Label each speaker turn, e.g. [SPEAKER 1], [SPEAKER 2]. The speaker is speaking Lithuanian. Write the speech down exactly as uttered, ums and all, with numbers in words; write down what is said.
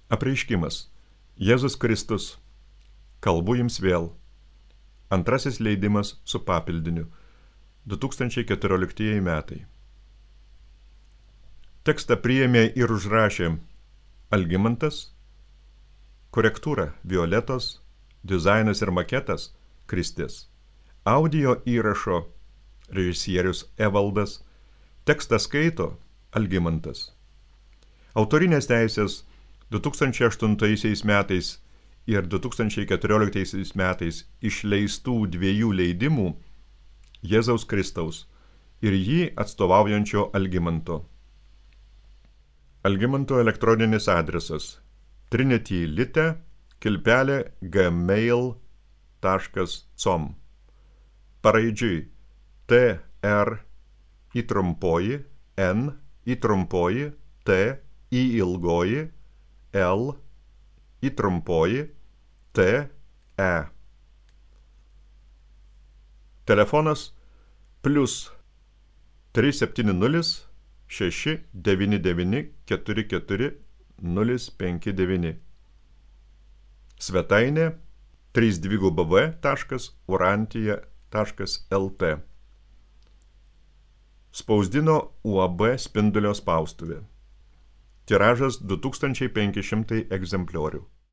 [SPEAKER 1] Apreiškimas. Jėzus Kristus. Kalbu jums vėl. Antrasis leidimas su papildiniu. du tūkstančiai keturioliktieji metai. Tekstą priėmė ir užrašė Algimantas, korektūra Violetos, dizainas ir maketas Kristis, audio įrašo režisierius Evaldas, tekstą skaito Algimantas. Autorinės teisės du tūkstančiai aštuntaisiais metais ir du tūkstančiai keturioliktaisiais metais išleistų dviejų leidimų Jėzaus Kristaus ir jį atstovaujančio Algimanto. Algimanto elektroninis adresas trinitylite kilpelė gmail taškas com. Paraidžiui T R įtrumpoji N įtrumpoji T į ilgoji L įtrumpoji T E. Telefonas plius trys septyni nulis šeši devyni devyni keturi keturi nulis penki devyni. Svetainė trys w w taškas urantija taškas l t. Spausdino U A B Spindulio spaustuvė. Tiražas du tūkstančiai penki šimtai egzempliorių.